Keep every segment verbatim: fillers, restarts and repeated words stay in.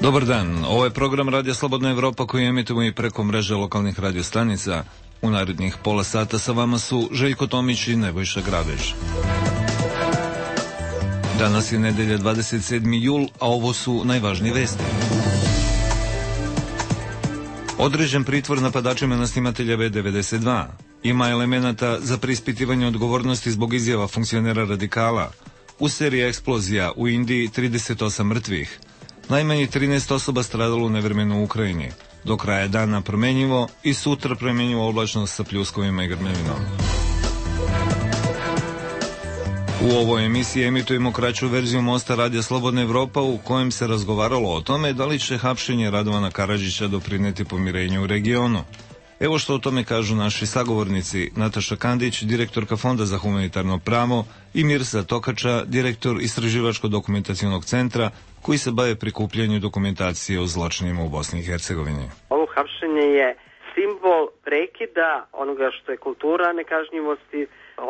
Dobar dan, ovo je program Radija Slobodna Evropa koji emitujemo i preko mreže lokalnih radiostanica. U narednih pola sata sa vama su Željko Tomić i Nebojša Grabež. Danas je nedelja dvadeset sedmi jul, a ovo su najvažnije vesti. Određen pritvor napadačima na snimatelja B devedeset dva. Ima elemenata za preispitivanje odgovornosti zbog izjava funkcionera radikala. U seriji eksplozija u Indiji trideset osam mrtvih. Najmanje trinaest osoba stradalo u nevremenu u Ukrajini. Do kraja dana promenjivo i sutra promenjivo oblačnost sa pljuskovima i grmevinom. U ovoj emisiji emitujemo kraću verziju mosta Radija Slobodna Evropa u kojem se razgovaralo o tome da li će hapšenje Radovana Karadžića doprineti pomirenju u regionu. Evo što o tome kažu naši sagovornici Nataša Kandić, direktorka Fonda za humanitarno pravo, i Mirsa Tokača, direktor Istraživačko-dokumentacionog centra koji se bave prikupljanju dokumentacije o zločinima u Bosni i Hercegovini. Ovo hapšenje je simbol prekida onoga što je kultura nekažnjivosti,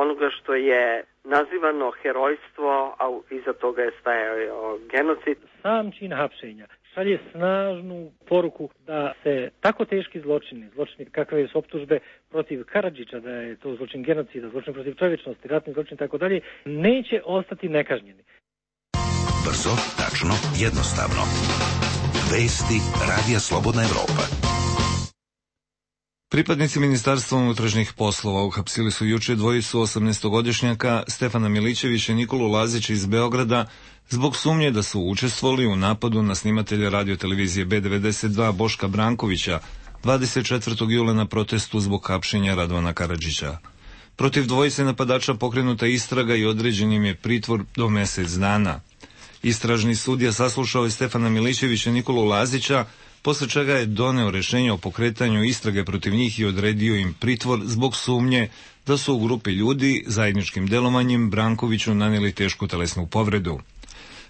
onoga što je nazivano herojstvo, a iza toga je stajao genocid. Sam čin hapšenja šalje snažnu poruku da se tako teški zločini, zločini kakve su optužbe protiv Karadžića, da je to zločin genocida, zločin protiv čovječnosti, ratni zločin i tako dalje, neće ostati nekažnjeni. Brzo, tačno, jednostavno. Vesti Radija Slobodna Evropa. Pripadnici Ministarstva unutrašnjih poslova uhapsili su juče dvojicu osamnaestogodišnjaka Stefana Milićevića i Nikolu Lazića iz Beograda zbog sumnje da su učestvovali u napadu na snimatelja radiotelevizije B devedeset dva Boška Brankovića dvadeset četvrtog jula na protestu zbog hapšenja Radovana Karadžića. Protiv dvojice napadača pokrenuta istraga i određen im je pritvor do mesec dana. Istražni sudija saslušao je Stefana Milićevića i Nikolu Lazića, posle čega je doneo rešenje o pokretanju istrage protiv njih i odredio im pritvor zbog sumnje da su u grupi ljudi zajedničkim delovanjem Brankoviću nanijeli tešku telesnu povredu.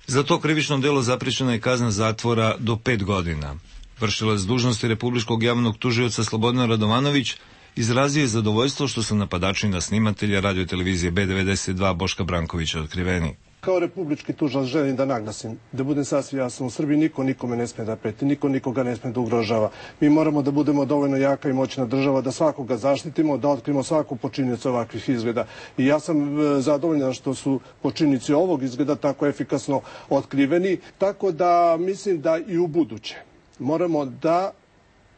Za to krivično delo zaprećena je kazna zatvora do pet godina. Vršilac dužnosti Republičkog javnog tužioca Slobodan Radovanović izrazio je zadovoljstvo što su napadači na snimatelja radiotelevizije B devedeset dva Boška Brankovića otkriveni. Kao republički tužilac želim da naglasim, da budem sasvim jasan, u Srbiji niko nikome ne sme da preti, niko nikoga ne sme da ugrožava. Mi moramo da budemo dovoljno jaka i moćna država, da svakoga zaštitimo, da otkrimo svaku počinioca ovakvih izgleda. I ja sam zadovoljan što su počinioci ovog izgleda tako efikasno otkriveni, tako da mislim da i u buduće moramo da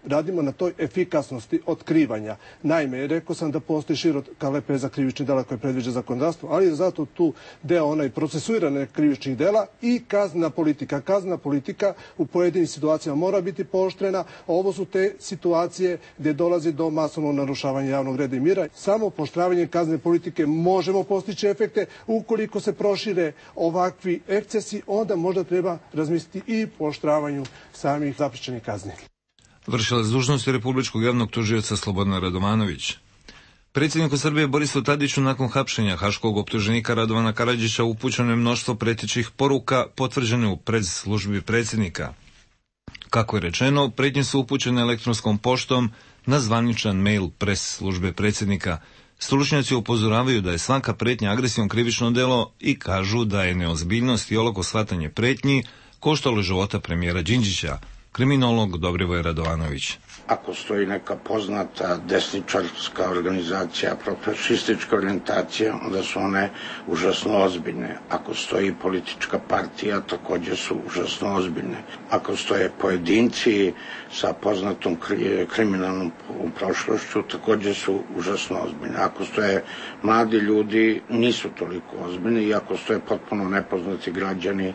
radimo na toj efikasnosti otkrivanja. Naime, rekao sam da postoji široka lepeza krivičnih dela koje predviđa zakonodavstvo, ali je zato tu deo onaj procesuirane krivičnih dela i kaznena politika. Kaznena politika u pojedinim situacijama mora biti pooštrena. Ovo su te situacije gdje dolazi do masovnog narušavanja javnog reda i mira. Samo pooštravanjem kaznene politike možemo postići efekte. Ukoliko se prošire ovakvi ekscesi, onda možda treba razmisliti i pooštravanju samih zaprećenih kazni. Vršilac dužnosti Republičkog javnog tužioca Slobodan Radovanović. Predsjedniku Srbije Borisu Tadiću nakon hapšenja haškog optuženika Radovana Karadžića upućeno je mnoštvo pretećih poruka potvrđene u press-službi predsjednika. Kako je rečeno, pretnje su upućene elektronskom poštom na zvaničan mail press-službe predsjednika. Stručnjaci upozoravaju da je svaka pretnja agresijom krivično delo i kažu da je neozbiljnost i olako shvatanje pretnji koštalo života premijera Đinđića. Kriminolog Dobrivoje Radovanović. Ako stoji neka poznata desničarska organizacija, profašistička orijentacija, onda su one užasno ozbiljne. Ako stoji politička partija, također su užasno ozbiljne. Ako stoje pojedinci sa poznatom kriminalnom prošlošću, također su užasno ozbiljne. Ako stoje mladi ljudi, nisu toliko ozbiljni, i ako stoje potpuno nepoznati građani,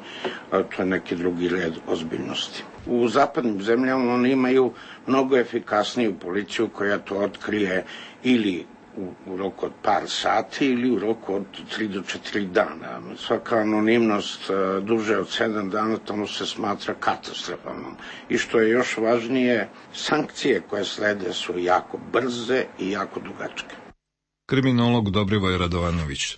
to je neki drugi red ozbiljnosti. U zapadnim zemljama oni imaju mnogo efikasniju policiju koja to otkrije ili u, u roku od par sati ili u roku od tri do četiri dana. Svaka anonimnost uh, duže od sedam dana tamo se smatra katastrofalnom. I što je još važnije, sankcije koje slede su jako brze i jako dugačke. Kriminolog Dobrivoje Radovanović.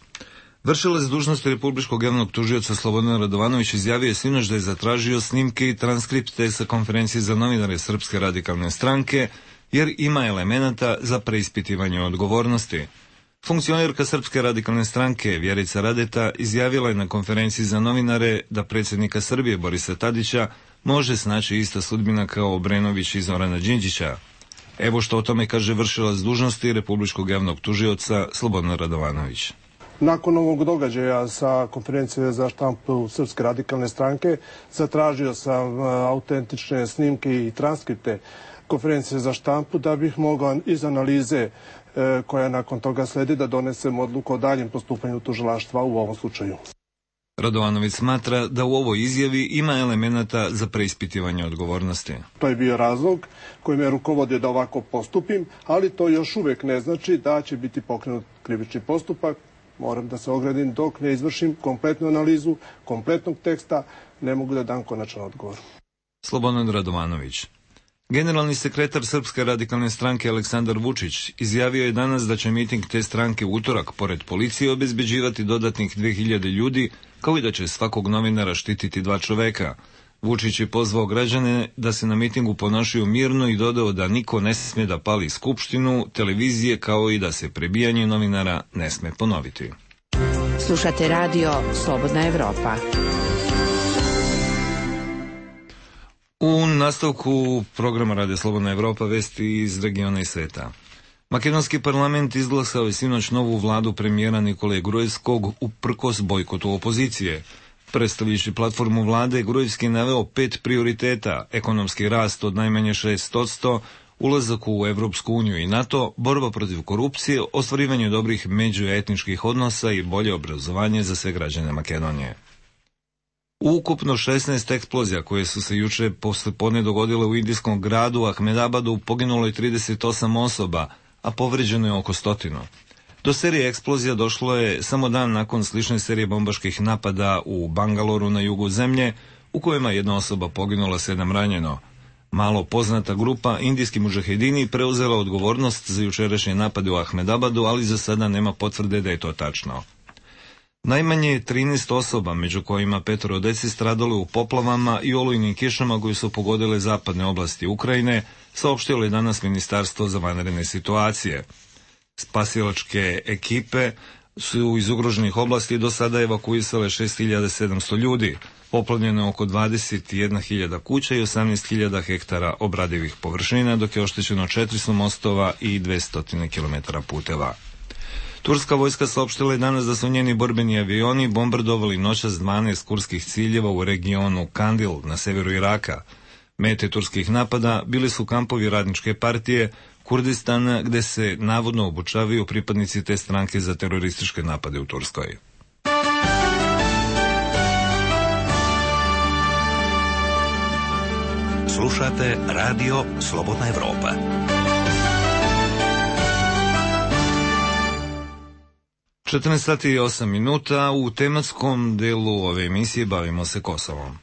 Vršilac dužnosti Republičkog javnog tužioca Slobodan Radovanović izjavio je sinoć da je zatražio snimke i transkripte sa konferencije za novinare Srpske radikalne stranke, jer ima elemenata za preispitivanje odgovornosti. Funkcionerka Srpske radikalne stranke Vjerica Radeta izjavila je na konferenciji za novinare da predsjednika Srbije Borisa Tadića može snaći ista sudbina kao Obrenović i Zorana Đinđića. Evo što o tome kaže vršilac dužnosti republičkog javnog tužioca Slobodan Radovanović. Nakon ovog događaja sa konferencije za štampu Srpske radikalne stranke zatražio sam autentične snimke i transkripte konferencije za štampu da bih mogao iz analize koja nakon toga sledi da donesem odluku o daljem postupanju tužilaštva u ovom slučaju. Radovanović smatra da u ovoj izjavi ima elemenata za preispitivanje odgovornosti. To je bio razlog koji me rukovodio da ovako postupim, ali to još uvek ne znači da će biti pokrenut krivični postupak. Moram da se ogradim dok ne izvršim kompletnu analizu, kompletnog teksta, ne mogu da dam konačan odgovor. Slobodan Radovanović. Generalni sekretar Srpske radikalne stranke Aleksandar Vučić izjavio je danas da će miting te stranke u utorak pored policije obezbeđivati dodatnih dve hiljade ljudi, kao i da će svakog novinara štititi dva čoveka. Vučić je pozvao građane da se na mitingu ponašaju mirno i dodao da niko ne sme da pali skupštinu, televizije, kao i da se prebijanje novinara ne sme ponoviti. Slušate radio Slobodna Evropa. U nastavku programa Radio Slobodna Evropa vesti iz regiona i sveta. Makedonski parlament izglasao je sinoć novu vladu premijera Nikole Gruevskog uprkos bojkotu opozicije. Predstavljajući platformu vlade, Gruevski je naveo pet prioriteta: ekonomski rast od najmanje šest posto, ulazak u Evropsku uniju i NATO, borba protiv korupcije, ostvarivanje dobrih međuetničkih odnosa i bolje obrazovanje za sve građane Makedonije. U ukupno šesnaest eksplozija koje su se juče posle podne dogodile u indijskom gradu Ahmedabadu poginulo je trideset osam osoba, a povređeno je oko stotinu. Do serije eksplozija došlo je samo dan nakon slične serije bombaških napada u Bangaloru na jugu zemlje, u kojima jedna osoba poginula, sedam ranjeno. Malo poznata grupa indijski mudžahedini preuzela odgovornost za jučerašnje napade u Ahmedabadu, ali za sada nema potvrde da je to tačno. Najmanje trinaest osoba, među kojima petoro dece, stradalo u poplavama i olujnim kišama koji su pogodile zapadne oblasti Ukrajine, saopštilo je danas Ministarstvo za vanredne situacije. Spasilačke ekipe su iz ugroženih oblasti do sada evakuisale šest hiljada sedamsto ljudi, poplavljeno oko dvadeset jedna hiljada kuća i osamnaest hiljada hektara obradivih površina, dok je oštećeno četiristo mostova i dvesta kilometara puteva. Turska vojska saopštila je danas da su njeni borbeni avioni bombardovali noćas dvanaest kurskih ciljeva u regionu Kandil na severu Iraka. Mete turskih napada bili su kampovi Radničke partije Kurdistana, gde se navodno obučavaju pripadnici te stranke za terorističke napade u Turskoj. Slušate radio Slobodna Evropa. četrnaest sati i osam minuta, u tematskom delu ove emisije bavimo se Kosovom.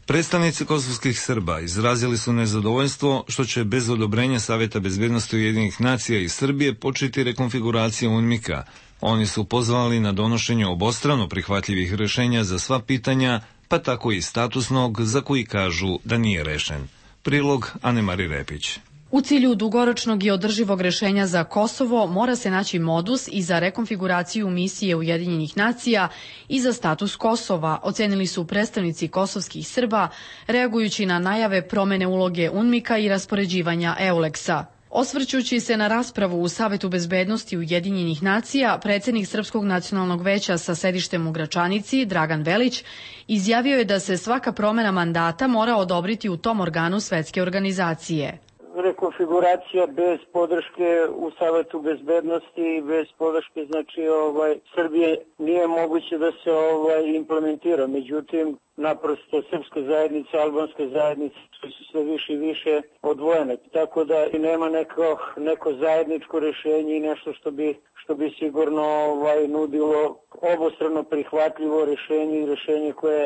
Predstavnici kosovskih Srba izrazili su nezadovoljstvo što će bez odobrenja Saveta bezbednosti Ujedinjenih nacija i Srbije početi rekonfiguracija UNMIK-a. Oni su pozvali na donošenje obostrano prihvatljivih rešenja za sva pitanja, pa tako i statusnog, za koji kažu da nije rešen. Prilog Anemari Repić. U cilju dugoročnog i održivog rešenja za Kosovo mora se naći modus i za rekonfiguraciju misije Ujedinjenih nacija i za status Kosova, ocenili su predstavnici kosovskih Srba, reagujući na najave promene uloge UNMIK-a i raspoređivanja EULEX-a. Osvrćući se na raspravu u Savetu bezbednosti Ujedinjenih nacija, predsjednik Srpskog nacionalnog veća sa sedištem u Gračanici, Dragan Velić, izjavio je da se svaka promena mandata mora odobriti u tom organu svetske organizacije. Rekonfiguracija bez podrške u Savetu bezbednosti i bez podrške znači ovaj Srbije nije moguće da se ovaj implementira. Međutim, naprosto srpska zajednica, albanska zajednica su sve više i više odvojene. Tako da i nema neko, neko zajedničko rješenje i nešto što bi, što bi sigurno ovaj nudilo obostrano prihvatljivo rješenje i rješenje koje,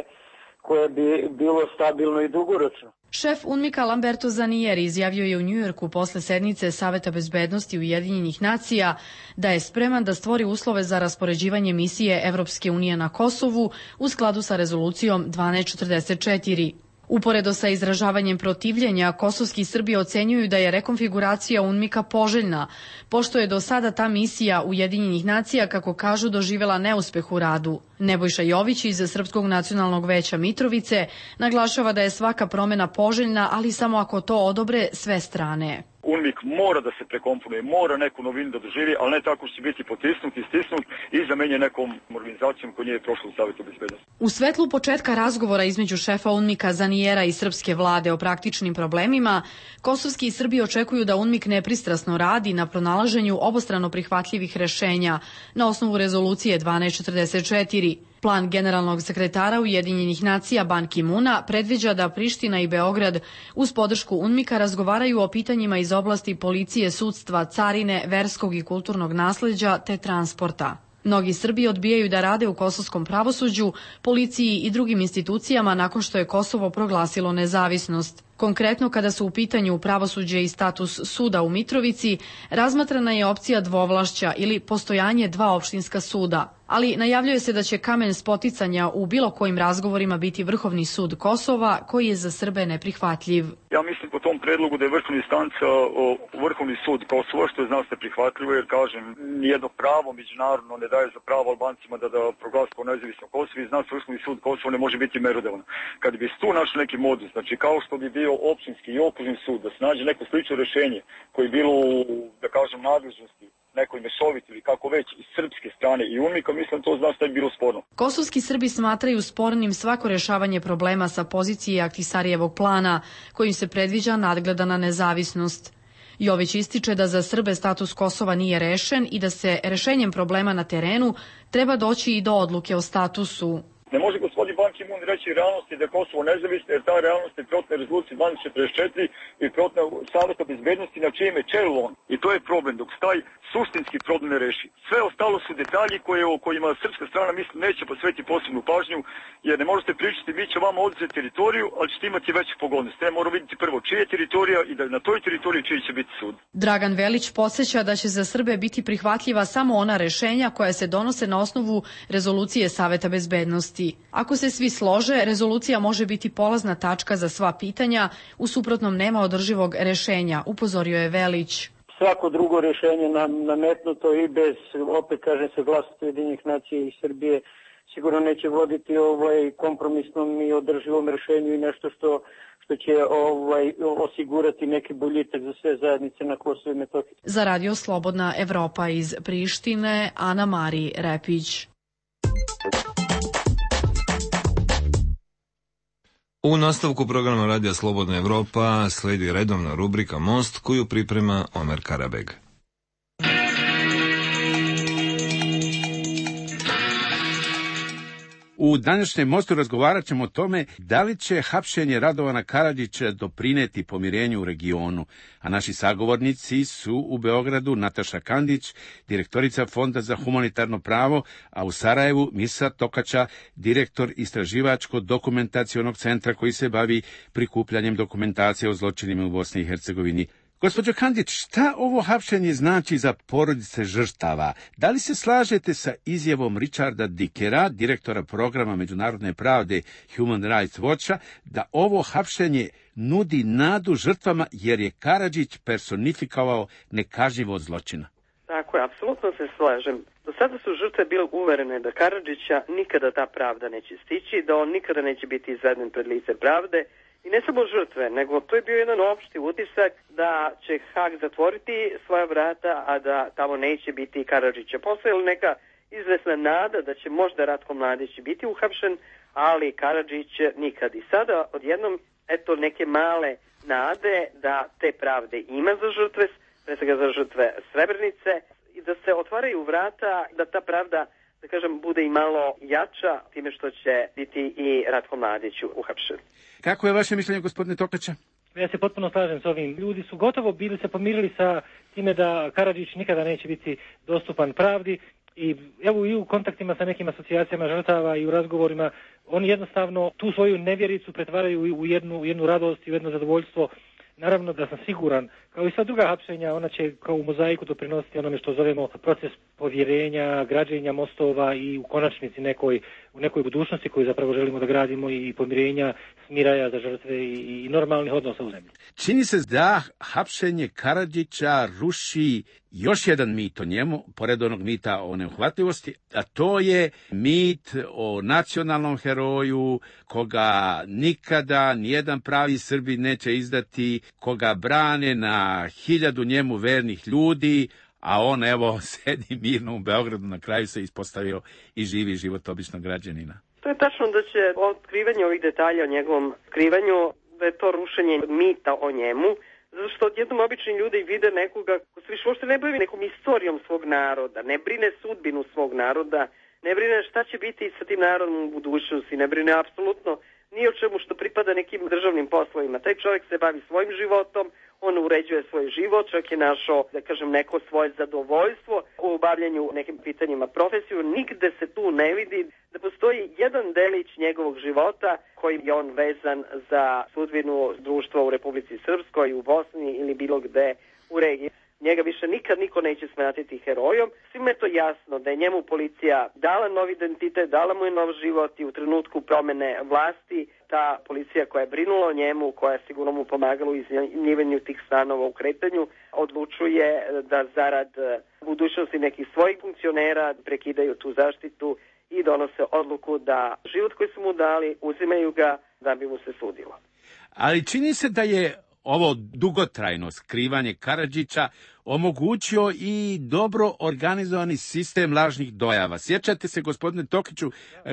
koje bi bilo stabilno i dugoročno. Šef UNMIK-a Lamberto Zanieri izjavio je u Njujorku posle sednice Saveta bezbednosti Ujedinjenih nacija da je spreman da stvori uslove za raspoređivanje misije Evropske unije na Kosovu u skladu sa rezolucijom dvanaest četrdeset četiri. Uporedo sa izražavanjem protivljenja, kosovski Srbi ocenjuju da je rekonfiguracija UNMIK-a poželjna, pošto je do sada ta misija Ujedinjenih nacija, kako kažu, doživela neuspeh u radu. Nebojša Jović iz Srpskog nacionalnog veća Mitrovice naglašava da je svaka promena poželjna, ali samo ako to odobre sve strane. UNMIK mora da se prekomponuje, mora neku novinu da doživi, ali ne tako što će biti potisnut i stisnut i zamenjen nekom organizacijom koja nije prošla u Savetu bezbednosti. U svetlu početka razgovora između šefa UNMIK-a Zanijera i srpske vlade o praktičnim problemima, kosovski Srbi očekuju da UNMIK nepristrasno radi na pronalaženju obostrano prihvatljivih rešenja na osnovu rezolucije dvanaest četrdeset četiri. Plan generalnog sekretara Ujedinjenih nacija Ban Ki-muna predviđa da Priština i Beograd uz podršku UNMIK-a razgovaraju o pitanjima iz oblasti policije, sudstva, carine, verskog i kulturnog nasleđa te transporta. Mnogi Srbi odbijaju da rade u kosovskom pravosuđu, policiji i drugim institucijama nakon što je Kosovo proglasilo nezavisnost. Konkretno, kada su u pitanju pravosuđe i status suda u Mitrovici, razmatrana je opcija dvovlašća ili postojanje dva opštinska suda. Ali najavljuje se da će kamen spoticanja u bilo kojim razgovorima biti Vrhovni sud Kosova, koji je za Srbe neprihvatljiv. Ja mislim po tom predlogu da je vrhovna instanca Vrhovni sud Kosova, što je za nas neprihvatljivo, jer kažem, nijedno pravo međunarodno ne daje za pravo Albancima da, da proglasi kao nezavisno Kosovo i za nas Vrhovni sud Kosova ne može biti merodavan. Kad bi se tu našli neki modus, znači kao što bi bio opštinski i okružni sud, da se nađe neko slično rešenje koje je bilo u, da kažem, nadležnosti nekoj mešoviti ili kako već iz srpske strane i UNMIK-a, mislim to zna šta je bilo sporno. Kosovski Srbi smatraju spornim svako rešavanje problema sa pozicije Ahtisarijevog plana, kojim se predviđa nadgledana nezavisnost. Jović ističe da za Srbe status Kosova nije rešen i da se rešenjem problema na terenu treba doći i do odluke o statusu. Ne može gospodin Ban Ki-mun reći realnosti da je Kosovo nezavisno, jer ta realnost je protna rezolucije dvanaest četrdeset četiri i protna Saveta bezbednosti na čijem je čelu on. I to je problem, dok se taj suštinski problem ne reši. Sve ostalo su detalji koje, o kojima srpska strana mislim neće posvetiti posebnu pažnju, jer ne možete pričati, mi će vama oduzeti teritoriju, ali ćete imati većih pogodnosti. Ne mora vidjeti prvo čija je teritorija i da na toj teritoriji čiji će biti sud. Dragan Velić podsjeća da će za Srbe biti prihvatljiva samo ona rešenja koja se donose na osnovu rezolucije Saveta bezbednosti. Ako se svi slože, rezolucija može biti polazna tačka za sva pitanja, u suprotnom nema održivog rešenja, upozorio je Velić. Svako drugo rešenje nam nametnuto i bez, opet kažem, saglasnosti Ujedinjenih nacija i Srbije, sigurno neće voditi ovaj kompromisnom i održivom rešenju i nešto što što će ovaj osigurati neki boljitak za sve zajednice na Kosovu i Metohiji. Za Radio Slobodna Evropa iz Prištine, Ana Mari Repić. U nastavku programa Radija Slobodna Evropa sledi redovna rubrika Most koju priprema Omer Karabeg. U današnjem Mostu razgovarat ćemo o tome da li će hapšenje Radovana Karadžića doprineti pomirenju u regionu, a naši sagovornici su u Beogradu Nataša Kandić, direktorica Fonda za humanitarno pravo, a u Sarajevu Misa Tokača, direktor istraživačko-dokumentacionog centra koji se bavi prikupljanjem dokumentacije o zločinima u Bosni i Hercegovini. Gospođo Kandić, šta ovo hapšenje znači za porodice žrtava? Da li se slažete sa izjavom Richarda Dickera, direktora programa međunarodne pravde Human Rights Watcha, da ovo hapšenje nudi nadu žrtvama jer je Karadžić personifikovao nekažnjivost zločina? Tako je, apsolutno se slažem. Do sada su žrtve bile uverene da Karadžića nikada ta pravda neće stići, da on nikada neće biti izveden pred lice pravde. I ne samo žrtve, nego to je bio jedan opšti utisak da će Hag zatvoriti svoja vrata, a da tamo neće biti Karadžića. Postojala neka izvesna nada da će možda Ratko Mladić biti uhapšen, ali Karadžić nikad. I sada odjednom, eto, neke male nade da te pravde ima za žrtve, pre svega za žrtve Srebrenice, i da se otvaraju vrata, da ta pravda, da kažem, bude i malo jača time što će biti i Ratko Mladić uhapšen. Kako je vaše mišljenje, gospodine Tokača? Ja se potpuno slažem s ovim. Ljudi su gotovo bili se pomirili sa time da Karadžić nikada neće biti dostupan pravdi i evo i u kontaktima sa nekim asocijacijama žrtava i u razgovorima oni jednostavno tu svoju nevjericu pretvaraju u jednu, u jednu radost i u jedno zadovoljstvo. Naravno da sam siguran, kao i sva druga hapšenja, ona će kao u mozaiku doprinositi onome što zovemo proces povjerenja, građenja mostova i u konačnici nekoj u nekoj budućnosti koju zapravo želimo da gradimo i pomirenja, smiraja za žrtve i, i normalnih odnosa u zemlji. Čini se da hapšenje Karadžića ruši još jedan mit o njemu, pored onog mita o neuhvatljivosti, a to je mit o nacionalnom heroju, koga nikada nijedan pravi Srbin neće izdati, koga brane na hiljadu njemu vernih ljudi, a on, evo, sedi mirno u Beogradu, na kraju se ispostavio i živi život običnog građanina. To je tačno da će otkrivanje ovih detalja o njegovom skrivanju, da je to rušenje mita o njemu, zato što odjednom obični ljudi vide nekoga ko se više uopšte ne bavi nekom istorijom svog naroda, ne brine sudbinu svog naroda, ne brine šta će biti sa tim narodom u budućnosti, ne brine apsolutno ni o čemu što pripada nekim državnim poslovima. Taj čovjek se bavi svojim životom, on uređuje svoj život, čovjek je našao, da kažem, neko svoje zadovoljstvo u obavljanju nekim pitanjima profesiju. Nigde se tu ne vidi da postoji jedan delić njegovog života kojim je on vezan za sudbinu društva u Republici Srpskoj, u Bosni ili bilo gde u regiji. Njega više nikad niko neće smatrati herojom. Svima je to jasno da je njemu policija dala nov identitet, dala mu je nov život i u trenutku promene vlasti ta policija koja je brinula o njemu, koja je sigurno mu pomagala u iznajmljivanju tih stanova u kretanju, odlučuje da zarad budućnosti nekih svojih funkcionera prekidaju tu zaštitu i donose odluku da život koji su mu dali uzimaju ga da bi mu se sudilo. Ali čini se da je ovo dugotrajno skrivanje Karadžića omogućio i dobro organizovani sistem lažnih dojava. Sjećate se, gospodine Tokiću,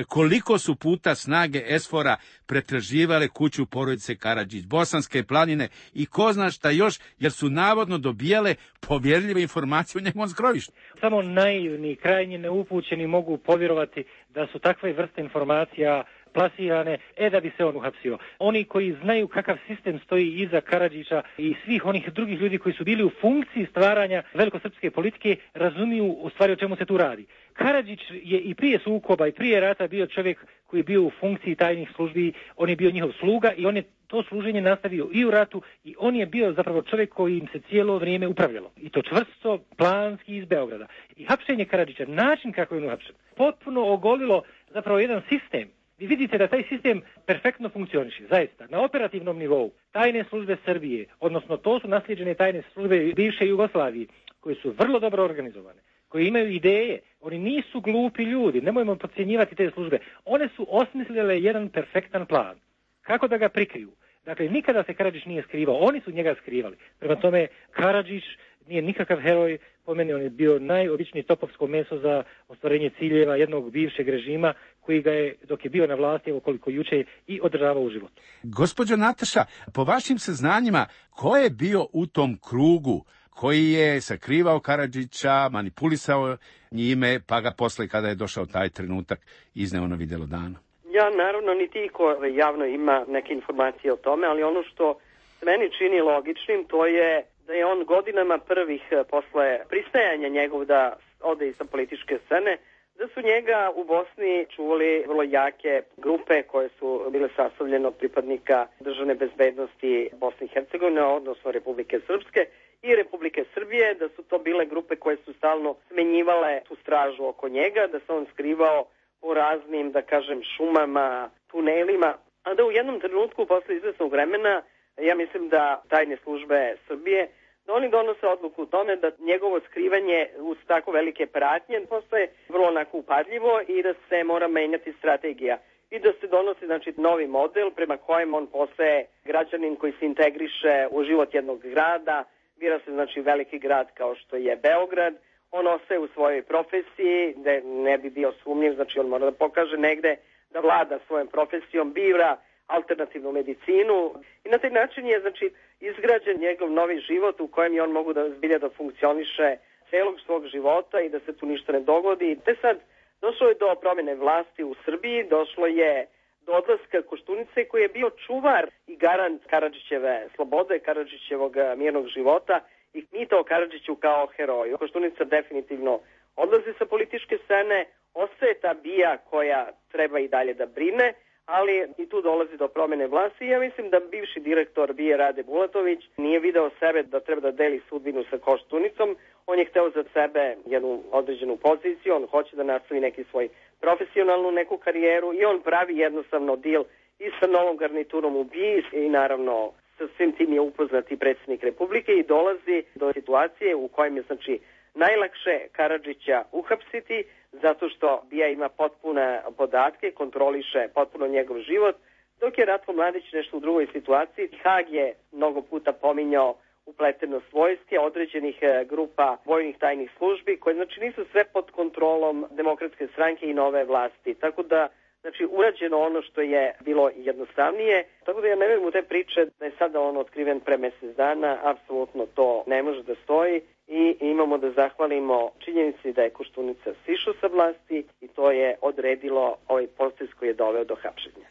koliko su puta snage esfora pretraživale kuću porodice Karadžić, Bosanske planine i ko zna šta još, jer su navodno dobijale povjerljive informacije o njegovom skrovištu. Samo naivni, krajnje neupućeni mogu povjerovati da su takve vrste informacija plasirane, e da bi se on uhapsio. Oni koji znaju kakav sistem stoji iza Karadžića i svih onih drugih ljudi koji su bili u funkciji stvaranja velikosrpske politike, razumiju u stvari o čemu se tu radi. Karadžić je i prije sukoba i prije rata bio čovjek koji je bio u funkciji tajnih službi, on je bio njihov sluga i on je to služenje nastavio i u ratu i on je bio zapravo čovjek koji im se cijelo vrijeme upravljalo. I to čvrsto, planski iz Beograda. I hapšenje Karadžića, način kako je on uhapšen, potpuno ogolilo zapravo jedan sistem. Vi vidite da taj sistem perfektno funkcioniše, zaista, na operativnom nivou. Tajne službe Srbije, odnosno to su naslijeđene tajne službe bivše Jugoslavije, koje su vrlo dobro organizovane, koji imaju ideje, oni nisu glupi ljudi, nemojmo podcjenjivati te službe. One su osmislile jedan perfektan plan. Kako da ga prikriju? Dakle, nikada se Karadžić nije skrivao, oni su njega skrivali. Prema tome, Karadžić nije nikakav heroj, po meni on je bio najobičniji topovsko meso za ostvarenje ciljeva jednog bivšeg režima koji ga je, dok je bio na vlasti, evo koliko juče, i održavao u životu. Gospođo Nataša, po vašim saznanjima, ko je bio u tom krugu koji je sakrivao Karadžića, manipulisao njime, pa ga posle, kada je došao taj trenutak, izneo na vidjelo dana? Ja, naravno, niti ko javno ima neke informacije o tome, ali ono što se meni čini logičnim, to je da je on godinama prvih posle pristajanja njegov da ode iz političke scene, da su njega u Bosni čuvali vrlo jake grupe koje su bile sastavljene od pripadnika državne bezbednosti Bosne i Hercegovine, odnosno Republike Srpske i Republike Srbije, da su to bile grupe koje su stalno smenjivale tu stražu oko njega, da se on skrivao u raznim, da kažem, šumama, tunelima, a da u jednom trenutku posle izvesnog vremena, ja mislim da tajne službe Srbije, da oni donose odluku u tome da njegovo skrivanje uz tako velike pratnje postaje vrlo onako upadljivo i da se mora menjati strategija i da se donosi, znači, novi model prema kojem on postaje građanin koji se integriše u život jednog grada, bira se, znači, veliki grad kao što je Beograd, on ostaje u svojoj profesiji, da ne bi bio sumnjiv, znači on mora da pokaže negde da vlada svojom profesijom, bira alternativnu medicinu i na taj način je, znači, izgrađen njegov novi život u kojem je on mogu da zbilja da funkcioniše celog svog života i da se tu ništa ne dogodi. Te sad došlo je do promjene vlasti u Srbiji, došlo je do odlaska Koštunice koji je bio čuvar i garant Karadžićeve slobode, Karadžićevog mirnog života i mita o Karadžiću kao heroju. Koštunica definitivno odlazi sa političke scene, ostaje ta bija koja treba i dalje da brine, ali i tu dolazi do promene vlasti. Ja mislim da bivši direktor B I A Rade Bulatović nije video sebe da treba da deli sudbinu sa Koštunicom. On je hteo za sebe jednu određenu poziciju, on hoće da nastavi neki svoj profesionalnu neku karijeru i on pravi jednostavno deal i sa novom garniturom u B I A i naravno sa svim tim je upoznat i predsjednik Republike i dolazi do situacije u kojem je znači najlakše Karadžića uhapsiti zato što B I A ima potpune podatke, kontroliše potpuno njegov život, dok je Ratko Mladić nešto u drugoj situaciji. Hag je mnogo puta pominjao upletenost vojske, određenih grupa vojnih tajnih službi, koje znači nisu sve pod kontrolom Demokratske stranke i nove vlasti. Tako da, znači, urađeno ono što je bilo jednostavnije. Tako da ja ne verujem u te priče da je sada on otkriven pre mesec dana, apsolutno to ne može da stoji i imamo da zahvalimo činjenici da je Koštunica sišao sa vlasti i to je odredilo ovaj proces koji je doveo do hapšenja.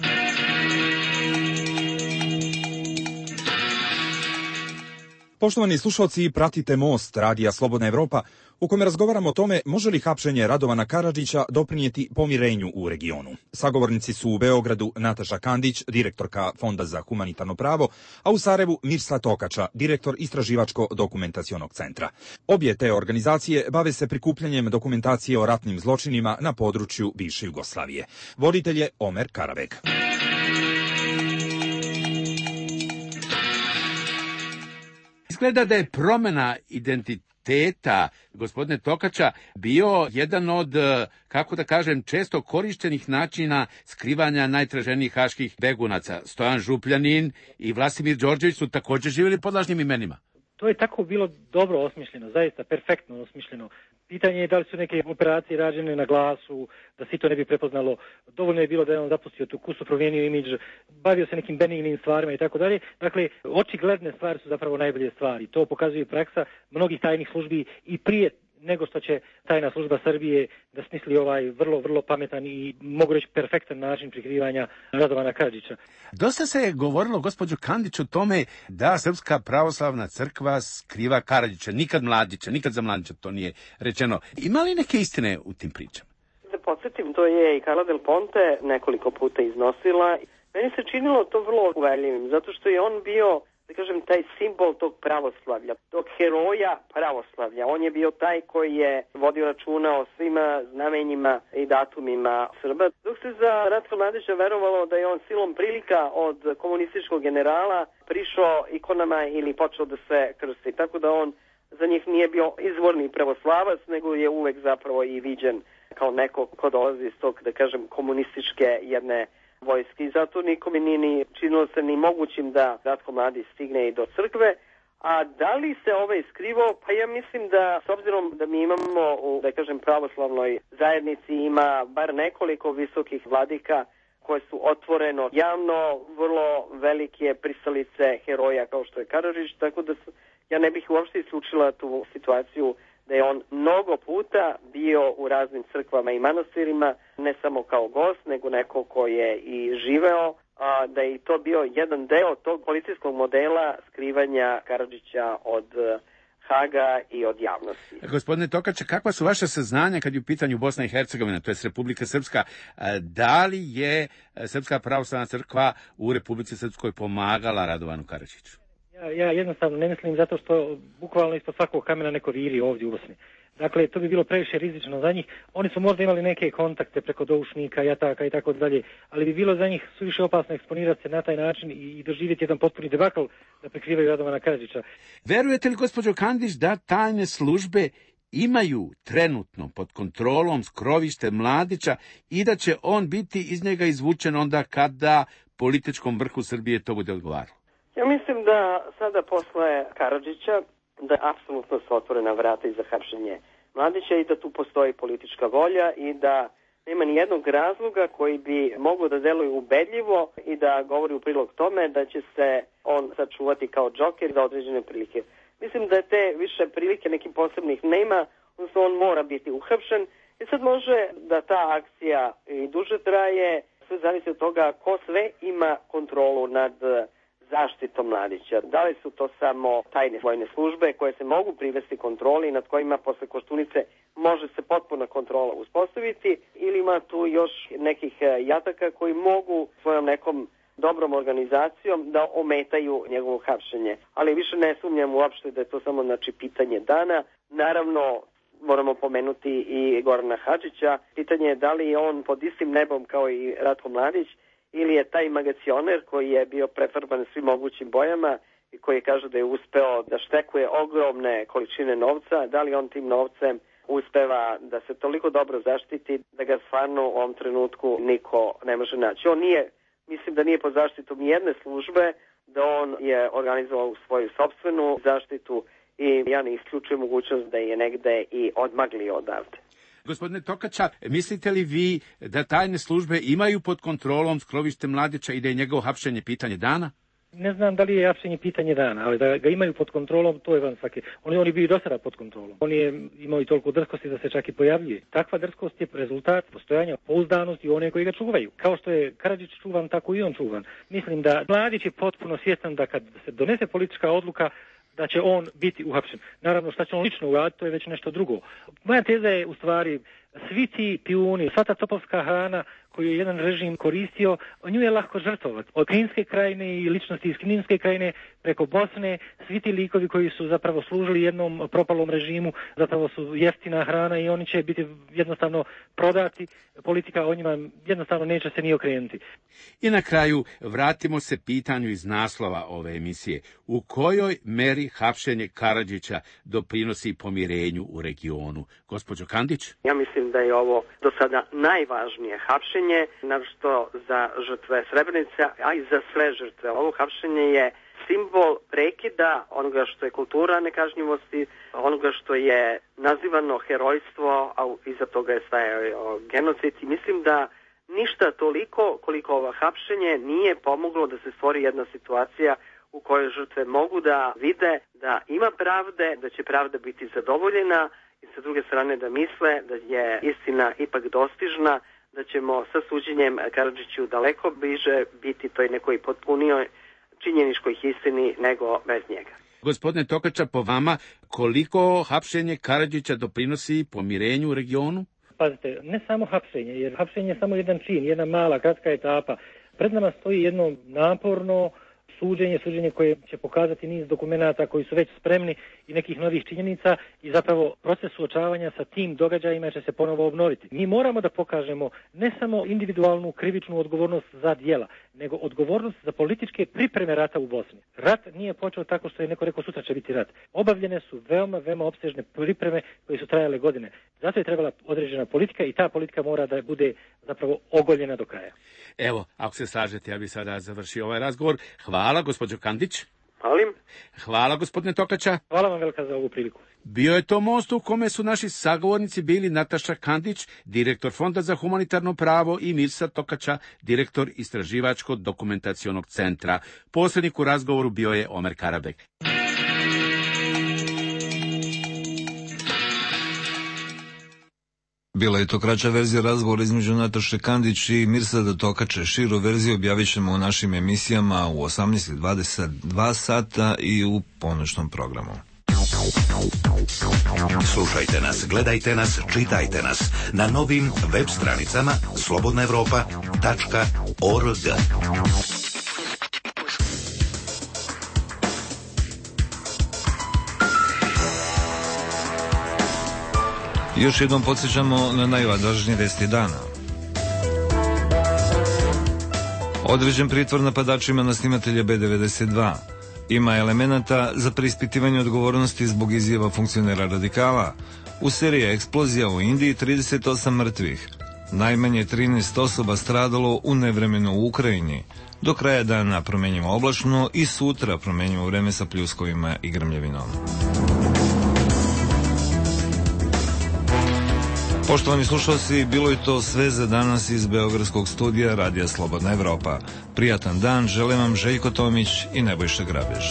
Poštovani slušalci, pratite Most Radija Slobodna Evropa, u kome razgovaramo o tome može li hapšenje Radovana Karadžića doprinijeti pomirenju u regionu. Sagovornici su u Beogradu Nataša Kandić, direktorka Fonda za humanitarno pravo, a u Sarajevu Mirsla Tokača, direktor Istraživačko-dokumentacionog centra. Obje te organizacije bave se prikupljanjem dokumentacije o ratnim zločinima na području bivše Jugoslavije. Voditelj je Omer Karabek. Izgleda da je promjena identiteta gospodine Tokača bio jedan od, kako da kažem, često korištenih načina skrivanja najtraženijih haških begunaca. Stojan Župljanin i Vlasimir Đorđević su također živjeli pod lažnim imenima. To je tako bilo dobro osmišljeno, zaista perfektno osmišljeno. Pitanje je da li su neke operacije rađene na glasu, da se to ne bi prepoznalo. Dovoljno je bilo da je on zapustio tu kusu, promijenio imidž, bavio se nekim benignim stvarima i tako dalje. Dakle, očigledne stvari su zapravo najbolje stvari. To pokazuje praksa mnogih tajnih službi i prije nego što će tajna služba Srbije da smisli ovaj vrlo, vrlo pametan i mogu reći perfektan način prikrivanja Radovana Karadžića. Dosta se je govorilo, gospođo Kandić, o tome da Srpska pravoslavna crkva skriva Karadžića, nikad Mladića, nikad za Mladića to nije rečeno. Ima li neke istine u tim pričama? Da podsjetim, to je i Carla Del Ponte nekoliko puta iznosila. Meni se činilo to vrlo uverljivim, zato što je on bio, da kažem, taj simbol tog pravoslavlja, tog heroja pravoslavlja. On je bio taj koji je vodio računa o svima znamenjima i datumima Srba. Dok se za Ratka Mladića verovalo da je on silom prilika od komunističkog generala prišao ikonama ili počeo da se krsti. Tako da on za njih nije bio izvorni pravoslavac, nego je uvek zapravo i viđen kao neko ko dolazi iz tog, da kažem, komunističke jedne vojske i zato nikome nije ni činilo se ni mogućim da Ratko Mladić stigne i do crkve. A da li se ovaj skrivao? Pa ja mislim da, s obzirom da mi imamo u, da kažem, pravoslavnoj zajednici ima bar nekoliko visokih vladika koje su otvoreno javno vrlo velike pristalice heroja kao što je Karadžić, tako da su, ja ne bih uopšte isključila tu situaciju da je on mnogo puta bio u raznim crkvama i manastirima, ne samo kao gost, nego neko ko je i živeo, a da je to bio jedan deo tog policijskog modela skrivanja Karadžića od Haga i od javnosti. Gospodine Tokače, kakva su vaše saznanja kad je u pitanju Bosna i Hercegovina, to je Republika Srpska? Da li je Srpska pravoslavna crkva u Republici Srpskoj pomagala Radovanu Karadžiću? Ja, ja jednostavno ne mislim zato što bukvalno ispod svakog kamena neko viri ovdje u Bosni. Dakle, to bi bilo previše rizično za njih. Oni su možda imali neke kontakte preko doušnika, jataka i tako dalje, ali bi bilo za njih suviše opasno eksponirati se na taj način i doživjeti jedan potpuni debakl da prikrivaju Radovana Karadžića. Verujete li, gospođo Kandić, da tajne službe imaju trenutno pod kontrolom skrovište Mladića i da će on biti iz njega izvučen onda kada političkom vrhu Srbije to bude odgovaralo? Ja mislim da sada posle Karadžića da apsolutno su otvorena vrata i za hapšenje Mladića i da tu postoji politička volja i da nema ni jednog razloga koji bi mogao da deluje ubedljivo i da govori u prilog tome da će se on sačuvati kao džoker za određene prilike. Mislim da te više prilike nekih posebnih nema, odnosno on mora biti uhapšen i sad može da ta akcija i duže traje, sve zavisi od toga ko sve ima kontrolu nad zaštitom mladića. Da li su to samo tajne vojne službe koje se mogu privesti kontroli, nad kojima posle Koštunice može se potpuna kontrola uspostaviti, ili ima tu još nekih jataka koji mogu svojom nekom dobrom organizacijom da ometaju njegovo hapšenje. Ali više ne sumnjam uopšte da je to samo znači pitanje dana. Naravno, moramo pomenuti i Gorana Hadžića. Pitanje je da li je on pod istim nebom kao i Ratko Mladić, ili je taj magacioner koji je bio prefarban svim mogućim bojama i koji kaže da je uspeo da štekuje ogromne količine novca, da li on tim novcem uspeva da se toliko dobro zaštiti da ga stvarno u ovom trenutku niko ne može naći. On nije, mislim da nije pod zaštitom nijedne službe, da on je organizovao svoju sopstvenu zaštitu i ja ne isključujem mogućnost da je negde i odmaglio odavde. Gospodine Tokača, mislite li vi da tajne službe imaju pod kontrolom skrovište Mladića i da je njegovo hapšenje pitanje dana? Ne znam da li je hapšenje pitanje dana, ali da ga imaju pod kontrolom, to je van svake. On je, on je bio i do sada pod kontrolom. On je imao i toliko drskosti da se čak i pojavljuje. Takva drskost je rezultat postojanja pouzdanosti one koji ga čuvaju. Kao što je Karadžić čuvan, tako i on čuvan. Mislim da Mladić je potpuno svjestan da kad se donese politička odluka, da će on biti uhapšen. Naravno, šta će on lično uraditi, to je već nešto drugo. Moja teza je u stvari, svi ti pijuni, sva ta topovska hrana koju je jedan režim koristio, nju je lako žrtvovati. Od Kninske krajine i ličnosti iz Kninske krajine preko Bosne, svi ti likovi koji su zapravo služili jednom propalom režimu, zapravo su jeftina hrana i oni će biti jednostavno prodati. Politika o njima jednostavno neće se ni okrenuti. I na kraju vratimo se pitanju iz naslova ove emisije. U kojoj meri hapšenje Karadžića doprinosi pomirenju u regionu? Gospođo Kandić? Ja mislim da je ovo do sada najvažnije hapšenje, naročito za žrtve Srebrenice, a i za sve žrtve. Ovo hapšenje je simbol prekida onoga što je kultura nekažnjivosti, onoga što je nazivano herojstvo, a iza toga je stajao genocid. I mislim da ništa toliko koliko ovo hapšenje nije pomoglo da se stvori jedna situacija u kojoj žrtve mogu da vide da ima pravde, da će pravda biti zadovoljena i sa druge strane da misle da je istina ipak dostižna, da ćemo sa suđenjem Karadžiću daleko bliže biti toj nekoj potpunijoj činjeničkoj istini nego bez njega. Gospodine Tokača, po vama, koliko hapšenje Karadžića doprinosi pomirenju u regionu? Pazite, ne samo hapšenje, jer hapšenje je samo jedan čin, jedna mala, kratka etapa. Pred nama stoji jedno naporno suđenje, suđenje koje će pokazati niz dokumenata koji su već spremni i nekih novih činjenica i zapravo proces suočavanja sa tim događajima će se ponovo obnoviti. Mi moramo da pokažemo ne samo individualnu krivičnu odgovornost za djela, nego odgovornost za političke pripreme rata u Bosni. Rat nije počeo tako što je neko rekao sutra će biti rat. Obavljene su veoma, veoma opsežne pripreme koje su trajale godine. Zato je trebala određena politika i ta politika mora da bude zapravo ogoljena do kraja. Evo, ako se slažete, ja bih sada završio ovaj razgovor. Hvala, gospođo Kandić. Hvalim. Hvala, gospodine Tokača. Hvala vam velika za ovu priliku. Bio je to most u kome su naši sagovornici bili Nataša Kandić, direktor Fonda za humanitarno pravo, i Mirsa Tokača, direktor Istraživačko-dokumentacionog centra. Posrednik u razgovoru bio je Omer Karabek. Bila je to kraća verzija razgovora između Nataše Kandić i Mirsada Tokače. Širu verziju objavit ćemo u našim emisijama u osamnaest i dvadeset dva sata i u ponoćnom programu. Slušajte nas, gledajte nas, čitajte nas na novim web stranicama slobodna evropa tačka org. Još jednom podsjećamo na najvažnije vesti dana. Određen pritvor napadačima na snimatelja B devedeset dva. Ima elemenata za preispitivanje odgovornosti zbog izjava funkcionera radikala. U seriji eksplozija u Indiji trideset osam mrtvih. Najmanje trinaest osoba stradalo u nevremenu u Ukrajini. Do kraja dana promenjivo oblačno i sutra promenjivo vreme sa pljuskovima i grmljavinom. Poštovani slušalci, bilo je to sve za danas iz Beogradskog studija Radija Slobodna Evropa. Prijatan dan, želim vam Željko Tomić i Nebojša Grabež.